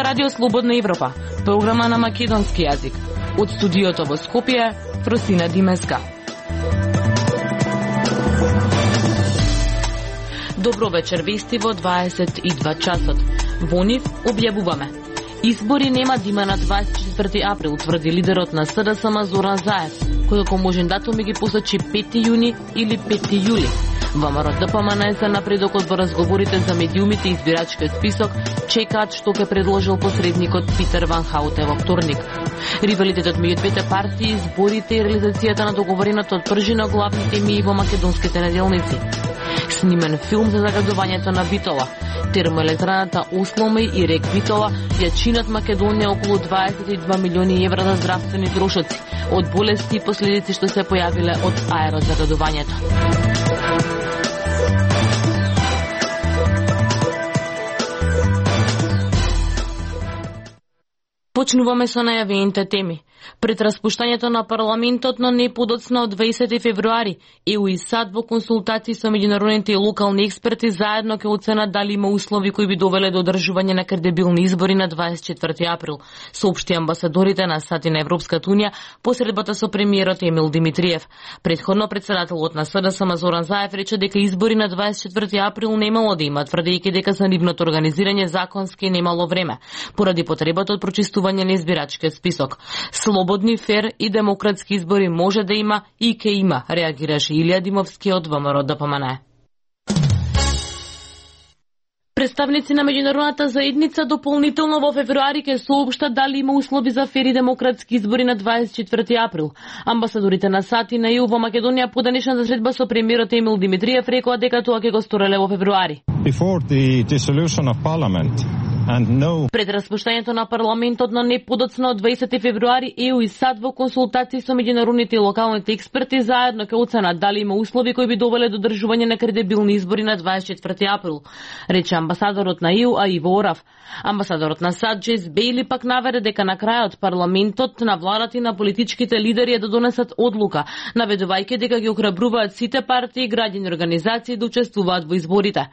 Радио Слободна Европа, програма на македонски јазик. Од студиото во Скопје, Фросина Димеска. Добро вечер, вести во 22 часот. Во нив објавуваме. Избори нема да има на 24 април, тврди лидерот на СДСМ Зоран Заев, кој како можен датум ги посочи 5 јуни или 5 јули. ВМРО ДПМН за напредокот во разговорите за медиумите и избирачкиот список чекаат што ќе предложил посредникот Питер Ван Хауте во вторник. Ривалитетот меѓу двете партии, изборите и реализацијата на договореното од пржина главни теми во македонските неделници. Снимен филм за загадувањето на Битола. Термоелектраната Осломи и рек Битола ја чинат Македонија околу 22 милиони евра за здравствени трошоци од болести и последици што се појавиле од аерозагадувањето. Почнуваме со најавените теми. Пред распуштањето на парламентот на неподоцна од 20 февруари, ЕУ и САД во консултации со меѓународните и локални експерти заедно ќе оценат дали има услови кои би довеле до одржување на кредибилни избори на 24 април, соопшти амбасадорите на САД и на Европската унија по средбата со премиерот Емил Димитриев. Предходно председателот на СДСМ Зоран Заев рече дека избори на 24 април немало да има, тврдејќи дека за нивното организирање законски немало време, поради потребата од прочистување на избирачкиот список. Слободни, фер и демократски избори може да има и ќе има, реагираше Илија Димовски од ВМРО ДПМН. Представници на меѓународната заедница дополнително во февруари ќе соопштат дали има услови за фер и демократски избори на 24 април. Амбасадорите на САД и на ЕУ во Македонија по денешната средба со премиерот Емил Димитриев рекоа дека тоа ќе го стореле во февруари. Пред распуштањето на парламентот на неподоцна од 20 февруари, ЕУ и САД во консултации со меѓународните и локалните експерти заедно ќе оценат дали има услови кои би довеле до одржување на кредибилни избори на 24 април, рече амбасадорот на ЕУ Аиво Орав. Амбасадорот на САД Джейс Бейли пак наведе дека на крајот парламентот, на владата и на политичките лидери е да донесат одлука, наведувајќи дека ги охрабруваат сите партии и граѓани организации да учествуваат во изборите.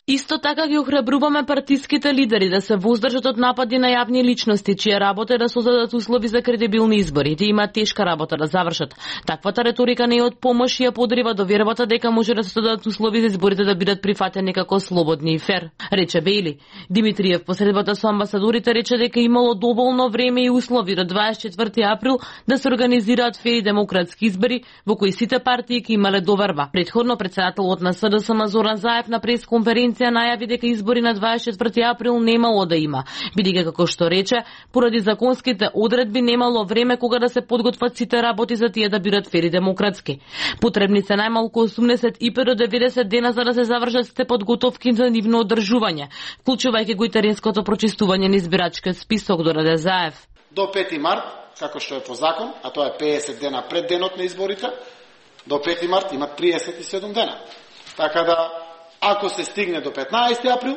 Исто така ги охрабруваме партиските лидери да се воздржат од напади на јавни личности, чија работа е да создадат услови за кредибилни избори, да има тешка работа да завршат. Таквата реторика не е од помош и ја подрива до вербата дека може да се создадат услови за изборите да бидат прифатени како слободни и фер, рече Бейли. Димитриев по средбата со амбасадорите рече дека имало доволно време и услови до 24 април да се организираат фер и демократски избори во кои сите партии ќе имале доверба. Предходно председателот на СДСМ Зоран Заев на пресконференција најави дека избори на 24 април немало да има, бидејќи како што рече, поради законските одредби немало време кога да се подготват сите работи за тие да бидат фер и демократски. Потребни се најмалку 85 до 90 дена за да се завршат сите подготовки за нивно одржување, вклучувајќи го и теренското прочистување на избирачкиот список, дораде Заев. До 5 март, како што е по закон, а тоа е 50 дена пред денот на изборите, до 5 март има 37 дена. Така да, ако се стигне до 15 април,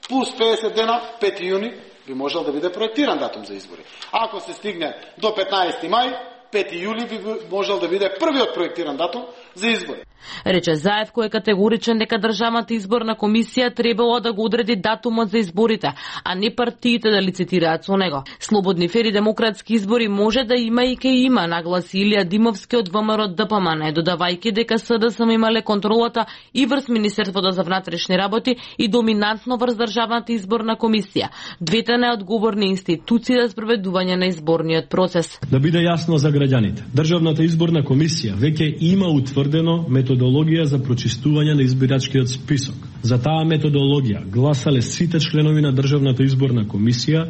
плюс 50 дена, 5 јуни, би можел да биде проектиран датум за избори. Ако се стигне до 15 мај, 5 јули би можел да биде првиот проектиран датум за избори. Рече Заев, кој е категоричен дека државната изборна комисија требало да го одреди датумот за изборите, а не партиите да лицитираат со него. Слободни, фер и демократски избори може да има и ќе има, нагласи Илија Димовски од ВМРО ДПМН, додавајќи дека СДСМ имале контролата и врз Министерството за внатрешни работи и доминантно врз државната изборна комисија, двете неодговорни институции за спроведување на изборниот процес. Да биде јасно за граѓаните, државната изборна комисија веќе има утврдено методологија за прочистување на избирачкиот список. За таа методологија гласале сите членови на државната изборна комисија,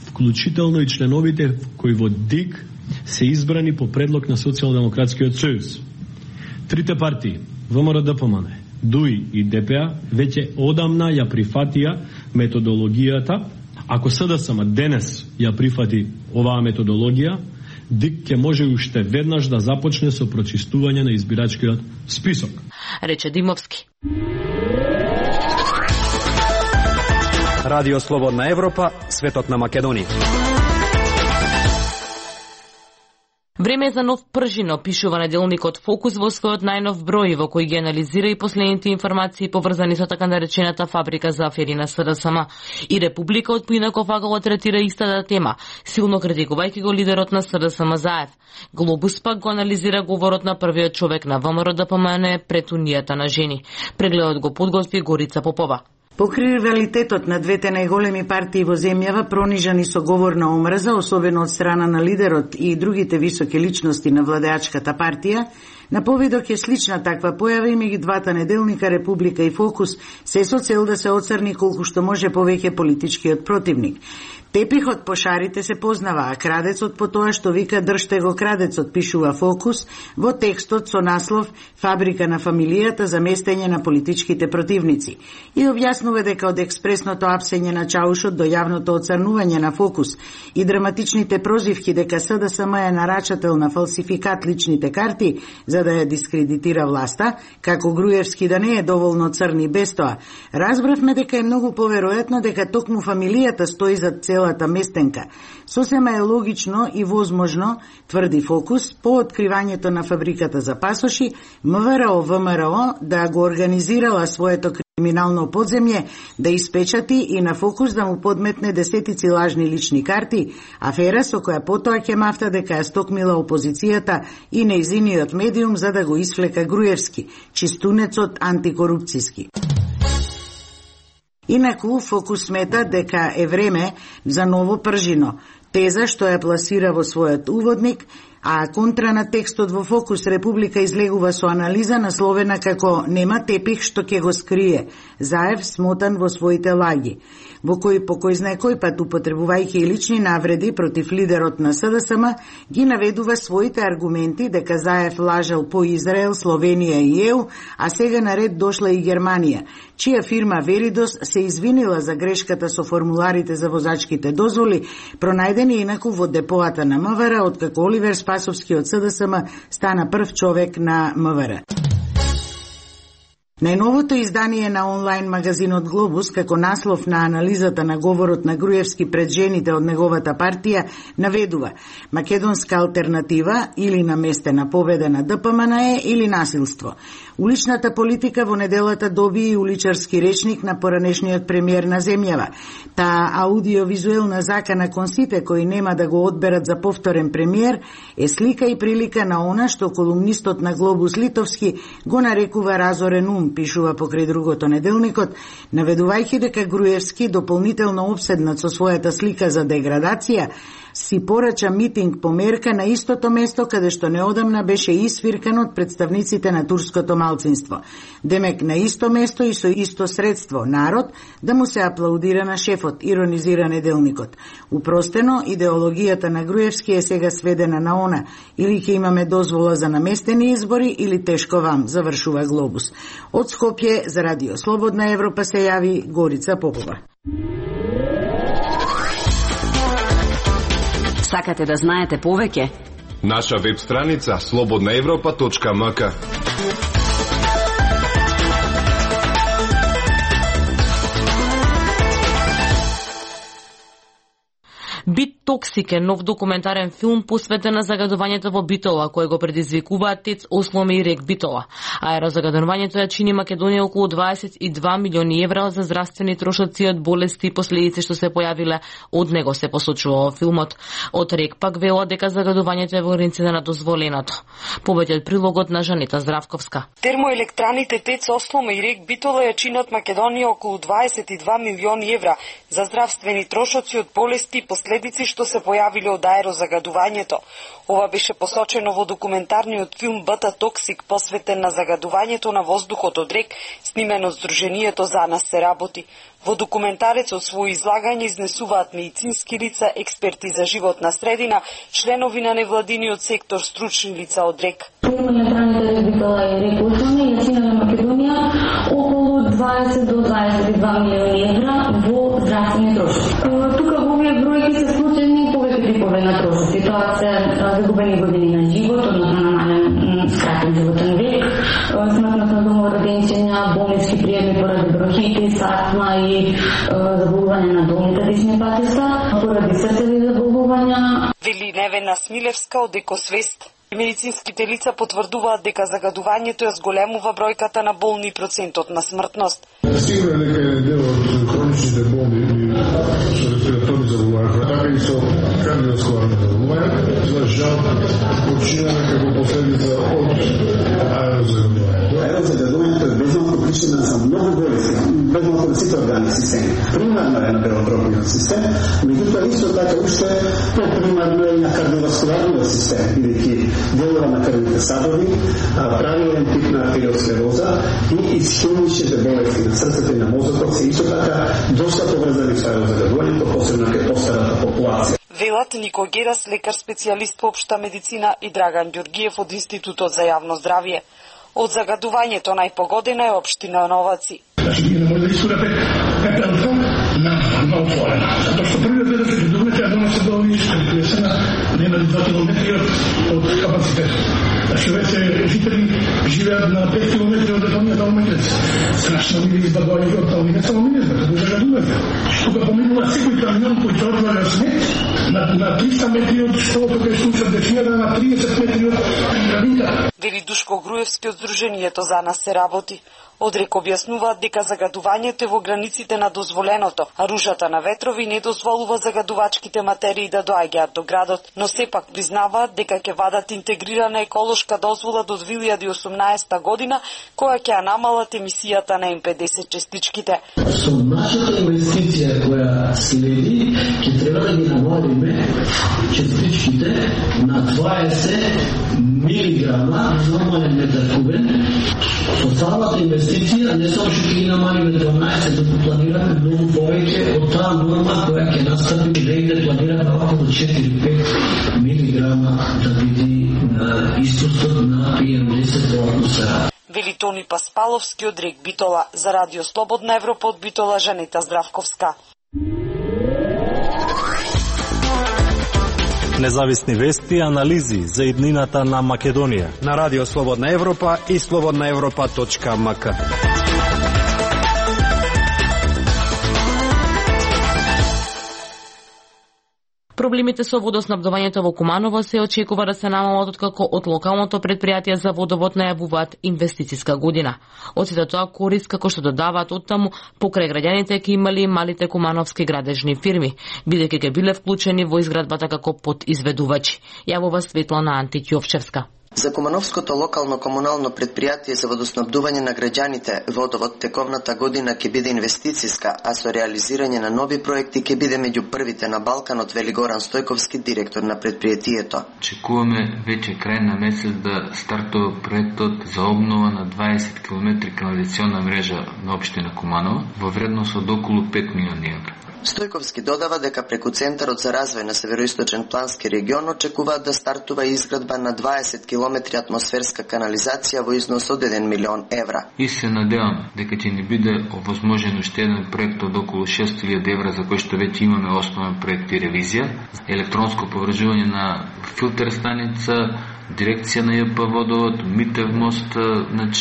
вклучително и членовите кои во ДИК се избрани по предлог на Социјалдемократскиот сојуз. Трите партии, ВМРО ДПМН, ДУИ и ДПА, веќе одамна ја прифатија методологијата. Ако СДСМ денес ја прифати оваа методологија, ДИК ќе може уште веднаш да започне со прочистување на избирачкиот список, рече Димовски. Радио Слободна Европа, светот на Македонија. Време за нов пржино, пишува неделникот Фокус во својот најнов број, во кој ги анализира и последните информации поврзани со така наречената фабрика за афери на СДСМ. И Република од поинаков агол третира истата тема, силно критикувајќи го лидерот на СДСМ Заев. Глобус пак го анализира говорот на првиот човек на ВМРО ДПМН пред Унијата на жени. Прегледот го подготви Горица Попова. Покри ривалитетот на двете најголеми партии во земјава, пронижани со говор на омрза, особено од страна на лидерот и другите високи личности на владеачката партија, на повидок е слична таква појава и меѓу двата неделника Република и Фокус, се со цел да се оцрни колку што може повеќе политичкиот противник. Тепихот по шарите се познава, а крадецот по тоа што вика држте го крадецот, пишува Фокус во текстот со наслов Фабрика на фамилијата за местење на политичките противници. И објаснува дека од експресното апсење на чаушот до јавното оцрнување на Фокус и драматичните прозивки дека СДСМ е нарачател на фалсификат личните карти за да ја дискредитира власта, како Груевски да не е доволно црни без тоа, разбравме дека е многу поверојатно дека токму фамилијата стои за целата местенка. Сосема е логично и возможно, тврди Фокус, по откривањето на фабриката за пасоши, ВМРО да го организирала своето криминално подземје, да испечати и на Фокус да му подметне десетици лажни лични карти, афера со која потоа ќе мафта дека ја стокмила опозицијата и нејзиниот медиум за да го исфлека Груевски, чистунецот антикорупцијски. Инаку, Фокус смета дека е време за ново пржино, теза што ја пласира во својот уводник, а контра на текстот во Фокус Република излегува со анализа насловена како «Нема тепих што ќе го скрие», Заев смотан во своите лаги, во кој по кој знае кој пат употребувајќи и лични навреди против лидерот на СДСМ, ги наведува своите аргументи дека Заев лажел по Израел, Словенија и ЕУ, а сега наред дошла и Германија, чија фирма Веридос се извинила за грешката со формуларите за возачките дозволи, пронајдени инаку во депоата на МВР, откако Оливер Спасовски од СДСМ стана прв човек на МВР. Најновото издание на онлайн магазинот Глобус, како наслов на анализата на говорот на Груевски пред жените од неговата партија, наведува македонска алтернатива или наместена победа на ДПМН или насилство. Уличната политика во неделата доби и уличарски речник на поранешниот премиер на земјава. Таа аудиовизуелна закана кон сите кои нема да го одберат за повторен премиер е слика и прилика на она што колумнистот на Глобус Литовски го нарекува разорен ум, пишува покрај другото неделникот, наведувајќи дека Груевски, дополнително обседнат со својата слика за деградација, си порача митинг по мерка на истото место каде што неодамна беше исвиркан од представниците на турското малцинство. Демек на исто место и со исто средство, народ, да му се аплаудира на шефот, иронизира неделникот. Упростено, идеологијата на Груевски е сега сведена на она, или ќе имаме дозвола за наместени избори, или тешко вам, завршува Глобус. Од Скопје за Радио Слободна Европа се јави Горица Попова. Сакате да знаете повеќе? Наша веб страница slobodnaevropa.mk. Бит Токсик е нов документарен филм посветен на загадувањето во Битола, кој го предизвикуваат ТЕЦ Осломе и РЕК Битола. Аерозагадувањето ја чини Македонија околу 22 милиони евра за здравствени трошоци од болести и последици што се појавиле од него, се посочува во филмот. Од РЕК пак велат дека загадувањето е во границите на дозволеното. Повеќе од прилогот на Жанита Здравковска. Термоелектраните ТЕЦ Осломе и РЕК Битола ја чинат Македонија околу 22 милиони евра за здравствени трошоци од болести и последици што се појавиле од аерозагадувањето. Ова беше посочено во документарниот филм Бит Токсик, посветен на загадувањето на воздухот од РЕК, снимен од Сдруженијето За нас се работи. Во документарецот свој излагање изнесуваат медицински лица, експерти за животна средина, членови на невладиниот сектор, стручни лица од РЕК. Термоелектраните Битола и РЕК Осломе ја чинат на Македонија околу 20 до 22 милиони евра во здравствени трошоци. Тука во овие бројки се вклучени повеќе типове на трошоци. Тоа се загубени години на живот, односно намален скратен животен век, смртност на домороденчиња, болнички приеми поради бронхитис, астма и заболување на долните дишни патишта, поради срцеви заболувања. вели Невена Смилевска од Екосвест. Медицинските лица потврдуваат дека загадувањето ја зголемува бројката на болни и процентот на смртност. Сигурно дека е дел од хроничните болни и со респираторни заболувања, така и со кардиоваскуларни заболувања, за жал починаме како последица од аерозагадувањето. Аерозагадувањето е безмалку причина за многу болести, безмалку на сите органи системи. Примарно е на белодробниот систем, меѓутоа исто така уште попримарно е на кардиоваскуларниот систем, бидејќи делува на крвните садови, правилен тип на артериосклероза и исхемичните болести на срцето и на мозокот се исто така доста поврзани со аерозагадувањето, посебно кај постарата популација. Велат Нико Герас, лекар специјалист по општа медицина, и Драган Ѓоргиев од Институтот за јавно здравје. Од загадувањето најпогодена е општина Новаци. Значи, ние не може да искурате пепелка на отворена. Затоа што првиот дел да се придобиете, а дома се долни искурите на нема 2 километри од капацитет. Значи, веќе жители живеат на 5 километри од детонијата Алмајлец. Страшно ми избавување од тоа, не само ми не знаат, да загадување. Тука поминува секој камион кој ќе одваја снег на 300 метри од школото кај случат дечијата, на 30 метри од градинка. Вели Душко Груевски од Сдруженијето За нас се работи. Одрек објаснуваат дека загадувањето е во границите на дозволеното, а рушата на ветрови не дозволува загадувачките материи да доаѓаат до градот, но сепак признаваат дека ќе вадат интегрирана еколошка дозвола до 2018 година, која ќе ја намалат емисијата на М50 частичките. Со нашата инвестиција која следи, ќе треба да ги намалиме частичките на 20 милиграма намален метар кубен. Со цялата инвестиција не само што ги намалиме 12, да планираме многу повеќе од таа норма која ќе настапи негде планираме околу 4-5 милиграма да биде истостот на PM10 во атмосфера. Вели Тони Паспаловски од Рек Битола. За Радио Слободна Европа од Битола, Жанета Здравковска. Независни вести и анализи за иднината на Македонија на Радио Слободна Европа и slobodnaevropa.mk. Проблемите со водоснабдувањето во Куманово се очекува да се намалат откако од локалното предпријатие за водовод најавуваат инвестициска година. Од сите тоа корист, како што додаваат оттаму, покрај граѓаните ќе имали малите кумановски градежни фирми, бидејќи ќе биле вклучени во изградбата како подизведувачи. Јавува Светлана Антич Јовчевска. За Кумановското локално комунално предпријатие за водоснабдување на граѓаните, водовод тековната година ќе биде инвестициска, а со реализирање на нови проекти ќе биде меѓу првите на Балканот, вели Горан Стојковски, директор на предпријатието. Очекуваме веќе крај на месец да стартува проектот за обнова на 20 км канализациона мрежа на општина Куманово во вредност од околу 5 милиони евра. Стојковски додава дека преку Центарот за развој на Североисточен плански регион очекуваат да стартува изградба на 20 км атмосферска канализација во износ од 1 милион евра. И се надевам дека ќе ни биде овозможен уште еден проект од околу 6.000 евра за кој што веќе имаме основен проект и ревизија, електронско поврзување на филтер станица, дирекција на ЈП водовод, Митев мост,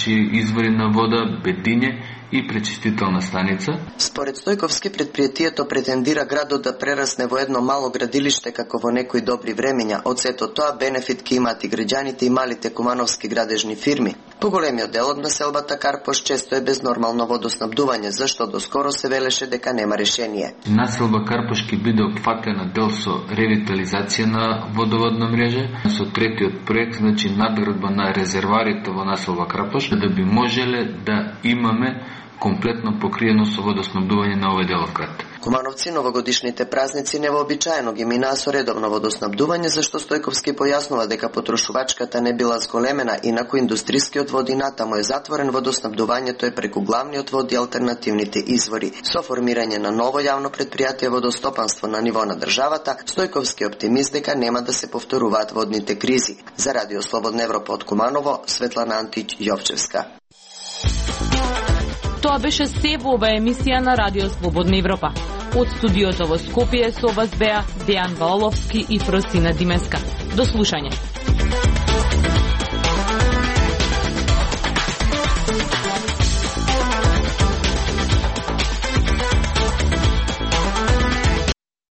извори на вода, Бедиње и пречистителна станица. Според Стојковски, предпријатието претендира градот да прерасне во едно мало градилиште како во некои добри времења. Од сето тоа бенефит ќе имаат и граѓаните и малите кумановски градежни фирми. Поголемиот дел од населбата Карпош често е без нормално водоснабдување, зашто доскоро се велеше дека нема решение. Населба Карпош ќе биде опфатена дел со ревитализација на водоводна мрежа, со третиот проект, надградба на резерварите во населба Карпош, да би можеле да имаме комплетно покриено со водоснабдување на овој дел од град. Кумановци новогодишните празници невообичаено ги минаа со редовно водоснабдување, зашто Стојковски појаснува дека потрошувачката не била зголемена, инаку индустрискиот вод и натаму е затворен, водоснабдувањето е преку главниот вод и алтернативните извори. Со формирање на ново јавно предпријатие водостопанство на ниво на државата, Стојковски е оптимист дека нема да се повторуваат водните кризи. За Радио Слободна Европа од Куманово, Светлана Антич Јовчевска. Тоа беше се во оваа емисија на Радио Слободна Европа. Од студиото во Скопје со вас беа Дејан Валовски и Фросина Димеска. До слушање.